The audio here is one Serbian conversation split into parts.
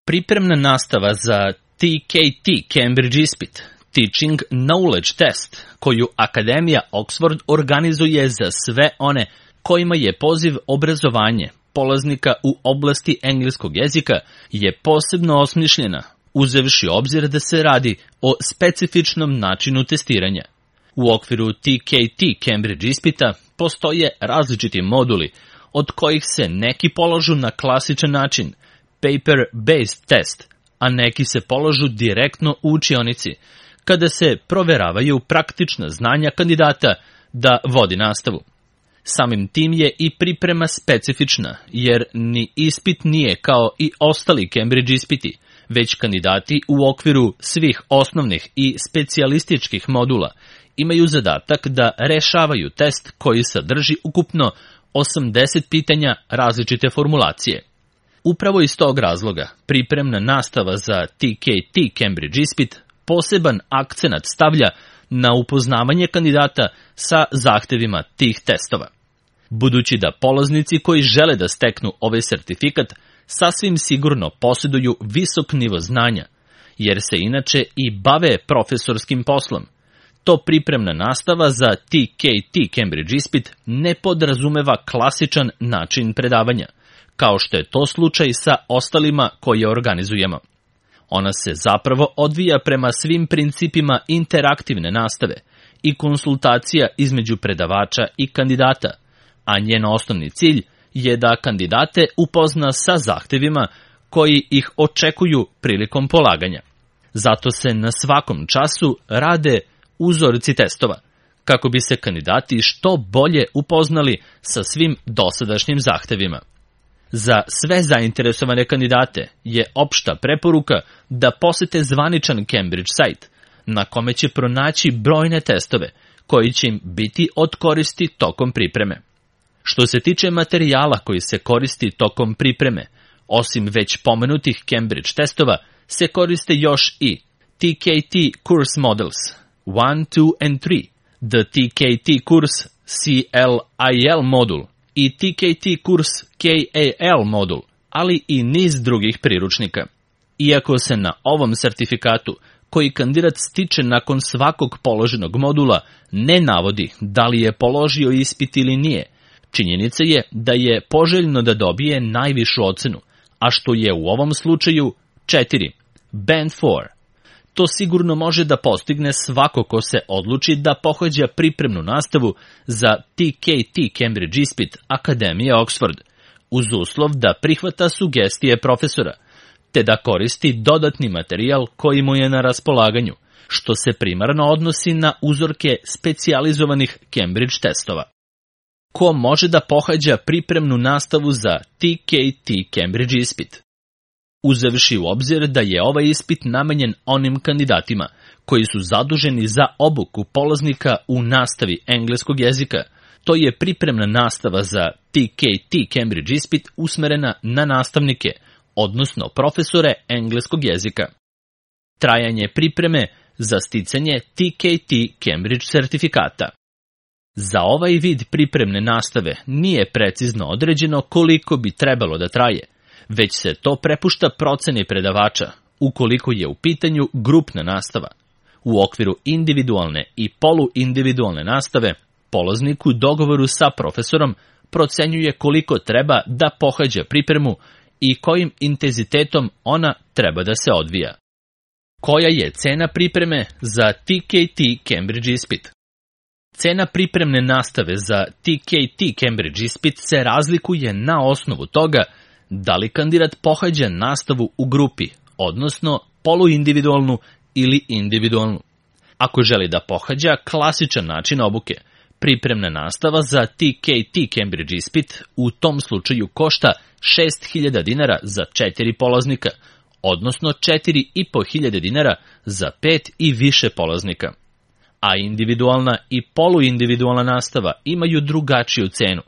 Pripremna nastava za TKT Cambridge ispit, Teaching Knowledge Test, koju Akademija Oxford organizuje za sve one kojima je poziv obrazovanje polaznika u oblasti engleskog jezika, je posebno osmišljena, uzevši obzir da se radi o specifičnom načinu testiranja. U okviru TKT Cambridge ispita postoje različiti moduli, od kojih se neki polažu na klasičan način, paper-based test, a neki se polažu direktno u učionici, kada se proveravaju praktična znanja kandidata da vodi nastavu. Samim tim je i priprema specifična, jer ni ispit nije kao i ostali Cambridge ispiti, već kandidati u okviru svih osnovnih i specijalističkih modula imaju zadatak da rešavaju test koji sadrži ukupno 80 pitanja različite formulacije. Upravo iz tog razloga, pripremna nastava za TKT Cambridge ispit poseban akcenat stavlja na upoznavanje kandidata sa zahtevima tih testova. Budući da polaznici koji žele da steknu ovaj sertifikat sasvim sigurno posjeduju visok nivo znanja, jer se inače i bave profesorskim poslom, to pripremna nastava za TKT Cambridge ispit ne podrazumeva klasičan način predavanja, kao što je to slučaj sa ostalima koje organizujemo. Ona se zapravo odvija prema svim principima interaktivne nastave i konsultacija između predavača i kandidata, a njen osnovni cilj je da kandidate upozna sa zahtevima koji ih očekuju prilikom polaganja. Zato se na svakom času rade uzorci testova, kako bi se kandidati što bolje upoznali sa svim dosadašnjim zahtevima. Za sve zainteresovane kandidate je opšta preporuka da posete zvaničan Cambridge sajt, na kome će pronaći brojne testove koji će im biti od koristi tokom pripreme. Što se tiče materijala koji se koristi tokom pripreme, osim već pomenutih Cambridge testova, se koriste još i TKT Course Models 1, 2 and 3, The TKT Course CLIL modul i TKT Course KAL modul, ali i niz drugih priručnika. Iako se na ovom sertifikatu, koji kandidat stiče nakon svakog položenog modula, ne navodi da li je položio ispit ili nije, činjenica je da je poželjno da dobije najvišu ocenu, a što je u ovom slučaju 4, Band 4. To sigurno može da postigne svako ko se odluči da pohađa pripremnu nastavu za TKT Cambridge ispit Akademije Oxford, uz uslov da prihvata sugestije profesora, te da koristi dodatni materijal koji mu je na raspolaganju, što se primarno odnosi na uzorke specijalizovanih Cambridge testova. Ko može da pohađa pripremnu nastavu za TKT Cambridge ispit? Uzevši u obzir da je ovaj ispit namenjen onim kandidatima koji su zaduženi za obuku polaznika u nastavi engleskog jezika, to je pripremna nastava za TKT Cambridge ispit usmerena na nastavnike, odnosno profesore engleskog jezika. Trajanje pripreme za sticanje TKT Cambridge sertifikata. Za ovaj vid pripremne nastave nije precizno određeno koliko bi trebalo da traje, već se to prepušta proceni predavača, ukoliko je u pitanju grupna nastava. U okviru individualne i poluindividualne nastave, polaznik u dogovoru sa profesorom procenjuje koliko treba da pohađa pripremu i kojim intenzitetom ona treba da se odvija. Koja je cena pripreme za TKT Cambridge ispit? Cena pripremne nastave za TKT Cambridge ispit se razlikuje na osnovu toga da li kandidat pohađa nastavu u grupi, odnosno poluindividualnu ili individualnu. Ako želi da pohađa klasičan način obuke, pripremna nastava za TKT Cambridge ispit u tom slučaju košta 6.000 dinara za 4 polaznika, odnosno 4.500 dinara za 5 i više polaznika. A individualna i poluindividualna nastava imaju drugačiju cenu.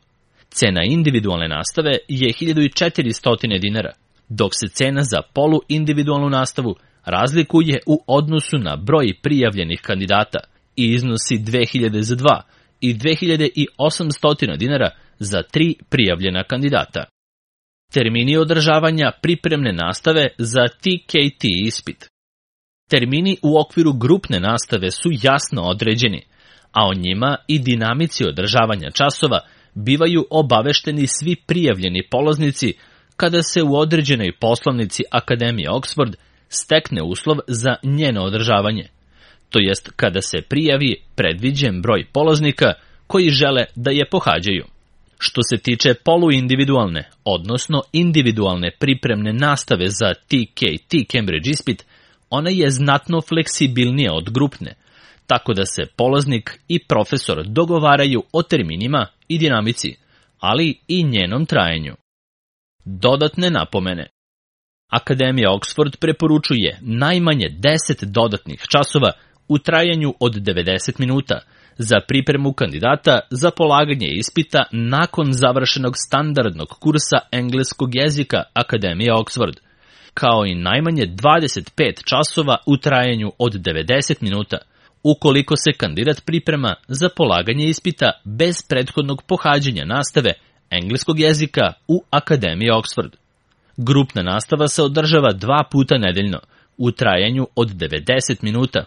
Cena individualne nastave je 1.400 dinara, dok se cena za poluindividualnu nastavu razlikuje u odnosu na broj prijavljenih kandidata i iznosi 2.000 za 2 i 2.800 dinara za 3 prijavljena kandidata. Termini održavanja pripremne nastave za TKT ispit. Termini u okviru grupne nastave su jasno određeni, a o njima i dinamici održavanja časova bivaju obavešteni svi prijavljeni polaznici kada se u određenoj poslovnici Akademije Oxford stekne uslov za njeno održavanje, to jest kada se prijavi predviđen broj polaznika koji žele da je pohađaju. Što se tiče poluindividualne, odnosno individualne pripremne nastave za TKT Cambridge ispit, ona je znatno fleksibilnija od grupne, tako da se polaznik i profesor dogovaraju o terminima i dinamici, ali i njenom trajanju. Dodatne napomene. Akademija Oxford preporučuje najmanje 10 dodatnih časova u trajanju od 90 minuta za pripremu kandidata za polaganje ispita nakon završenog standardnog kursa engleskog jezika Akademije Oxford, kao i najmanje 25 časova u trajanju od 90 minuta, ukoliko se kandidat priprema za polaganje ispita bez prethodnog pohađanja nastave engleskog jezika u Akademiji Oxford. Grupna nastava se održava 2 puta nedeljno, u trajanju od 90 minuta.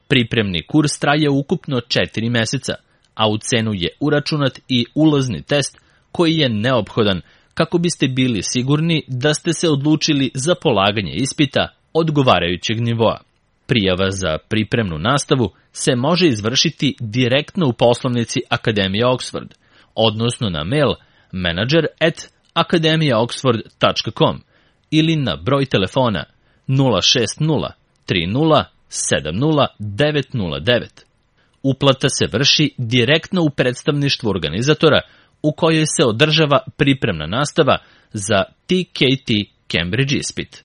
Pripremni kurs traje ukupno 4 meseca, a u cenu je uračunat i ulazni test koji je neophodan kako biste bili sigurni da ste se odlučili za polaganje ispita odgovarajućeg nivoa. Prijava za pripremnu nastavu se može izvršiti direktno u poslovnici Akademije Oxford, odnosno na mail manager@akademijaoxford.com ili na broj telefona 060 30 70 909. Uplata se vrši direktno u predstavništvu organizatora u kojoj se održava pripremna nastava za TKT Cambridge ispit.